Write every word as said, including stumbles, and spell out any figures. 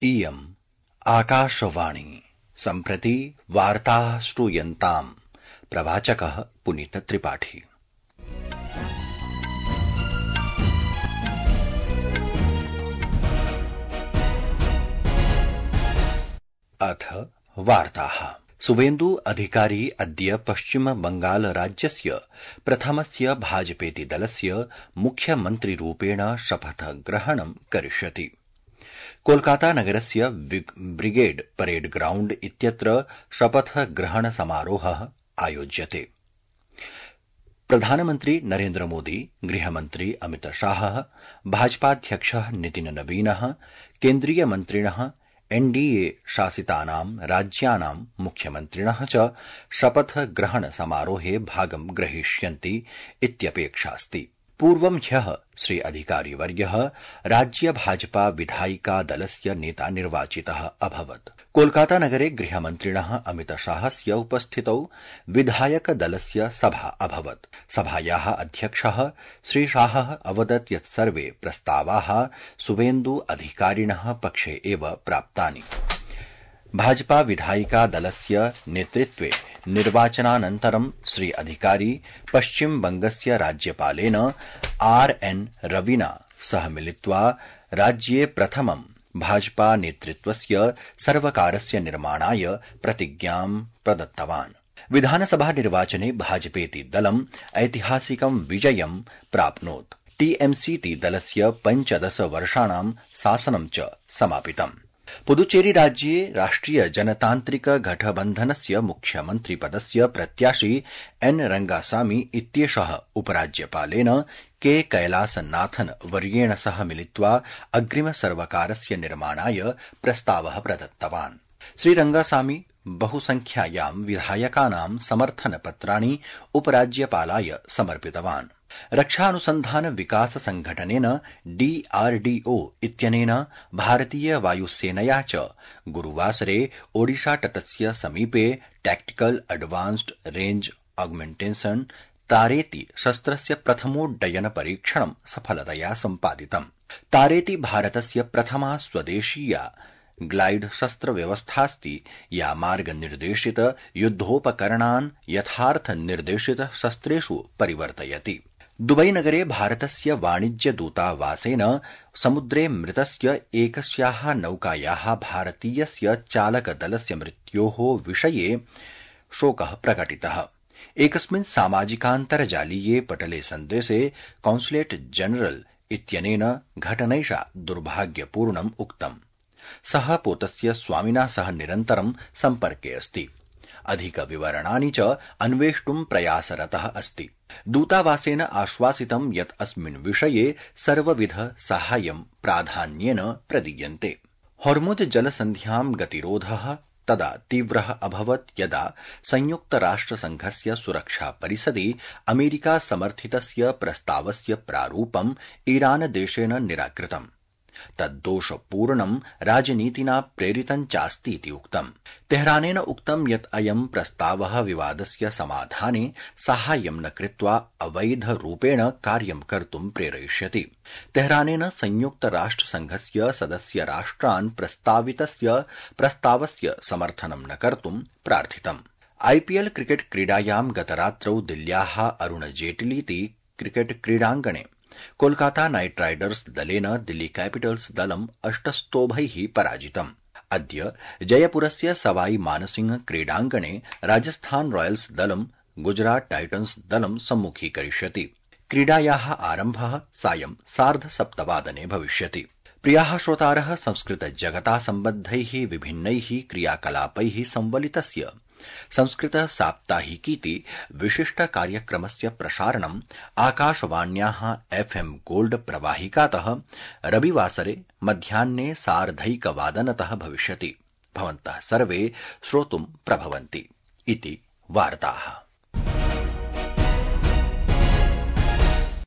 इयम् आकाशवाणी सम्प्रति वार्ताः श्रूयन्ताम्। प्रवाचकः पुनीतत्रिपाठी। अथ वार्ताः। शुभेन्दु अधिकारी अद्य पश्चिम बंगाल राज्यस्य प्रथमस्य भाजपेति दलस्य मुख्यमन्त्रिरूपेण शपथग्रहणं करिष्यति। कोलकाता नगरस्य ब्रिगेड परेड ग्राउण्ड इत्यत्र शपथग्रहण समारोहः आयोज्यते। प्रधानमन्त्री नरेन्द्र मोदी, गृहमन्त्री अमित शाहः, भाजपाध्यक्षः नितिन नवीनः, केन्द्रीय मन्त्रिणः, एनडीए शासितानां राज्यानां मुख्यमन्त्रिणः च शपथग्रहण समारोहे भागं ग्रहीष्यन्ति इत्यपेक्षास्ति। पूर्वं ह्यः श्री अधिकारिवर्यः राज्य भाजपा विधायिका दलस्य नेता निर्वाचितः अभवत्। कोलकाता नगरे गृहमन्त्रिणः अमित शाहस्य उपस्थितौ विधायक दलस्य सभा अभवत्। सभायाः अध्यक्षः श्री शाहः अवदत् यत् सर्वे प्रस्तावाः शुभेन्दु अधिकारिणः पक्षे एव प्राप्तानि। भाजपा विधायिका दलस्य नेतृत्वे निर्वाचनानन्तरं श्री अधिकारी पश्चिम बंगस्य राज्यपालेन आर एन रविना सह मिलित्वा राज्ये प्रथमं भाजपा नेतृत्वस्य सर्वकारस्य निर्माणाय प्रतिज्ञां प्रदत्तवान्। विधानसभा निर्वाचने भाजपेति दलम् ऐतिहासिकं विजयं प्राप्नोत्। टीएमसीति दलस्य पञ्चदश वर्षाणां शासनं च समापितम्। पुदुचेरी राज्ये राष्ट्रिय जनतान्त्रिक गठबन्धनस्य मुख्यमन्त्रिपदस्य प्रत्याशी एन रंगासामी इत्येषः उपराज्यपालेन के कैलासनाथन वर्येण सह मिलित्वा अग्रिम सर्वकारस्य निर्माणाय प्रस्तावः प्रदत्तवान्। श्री रंगासामी बहुसंख्यायां विधायकानां समर्थनपत्राणि उपराज्यपालाय समर्पितवान्। रक्षानुसन्धान विकास संघटनेन डीआरडीओ इत्यनेन भारतीय वायुसेनया च गुरुवासरे ओडिशा तटस्य समीपे टैक्टिकल एडवांस्ड रेंज ऑगमेंटेशन तारेति शस्त्रस्य प्रथमोड्डयन परीक्षणं सफलतया सम्पादितम्। तारेति भारतस्य प्रथमा स्वदेशीया ग्लाइड शस्त्र व्यवस्थास्ति या मार्गनिर्देशित युद्धोपकरणान् यथार्थ निर्देशित शस्त्रेषु परिवर्तयति। दुबई नगरे भारतस्य वाणिज्य दूतावासेन समुद्रे मृतस्य एकस्याः नौकायाः भारतीयस्य चालकदलस्य मृत्योः विषये शोकः प्रकटितः। एकस्मिन् सामाजिकान्तर्जालीये पटले सन्देशे कॉन्सुलेट जनरल इत्यनेन घटनैषा दुर्भाग्यपूर्णम् उक्तम्। सः पोतस्य स्वामिना सह निरन्तरं सम्पर्के अस्ति। अधिक विवरणानि च अन्वेष्टुं प्रयासरतः अस्ति। दूतावासेन आश्वासितं यत् अस्मिन् विषये सर्वविध साहाय्यं प्राधान्येन प्रदीयन्ते। हॉर्मुज जलसन्ध्यां गतिरोधः तदा तीव्रः अभवत् यदा संयुक्तराष्ट्रसंघस्य सुरक्षा परिषदि अमेरिका समर्थितस्य प्रस्तावस्य प्रारूपम् ईरान देशेन निराकृतम्। तद्दोषपूर्णं राजनीतिना प्रेरितं चास्ति इति उक्तम्। तेहरानेन उक्तं यत् अयं प्रस्तावः विवादस्य समाधाने साहाय्यं न कृत्वा अवैधरूपेण कार्यं कर्तुं प्रेरयिष्यति। तेहरानेन संयुक्तराष्ट्रसंघस्य सदस्य राष्ट्रान् प्रस्तावितस्य प्रस्तावस्य समर्थनं न कर्तुं प्रार्थितम्। आईपीएल क्रिकेट क्रीडायां गतरात्रौ दिल्ल्याः अरुण जेटलीति क्रिकेट क्रीडाङ्गणे कोलकाता नाइट राइडर्स दलेन दिल्ली कैपिटल्स दलम् अष्टस्तोभैः पराजितम्। अद्य जयपुरस्य सवाई मानसिंह क्रीडाङ्गणे राजस्थान रॉयल्स दलं गुजरात टाइटन्स दलं सम्मुखीकरिष्यति। क्रीडायाः आरम्भः सायं सार्ध सप्तवादने भविष्यति। प्रियाः श्रोतारः, संस्कृत जगता सम्बद्धैः विभिन्नैः क्रियाकलापैः संवलितस्य संस्कृत साप्ताहिकीति विशिष्ट कार्यक्रमस्य प्रसारणम् आकाशवाण्याः एफएम गोल्ड प्रवाहिकातः रविवासरे मध्याह्ने सार्धैकवादनतः भविष्यति। भवन्तः सर्वे श्रोतुं प्रभवन्ति इति वार्ताः।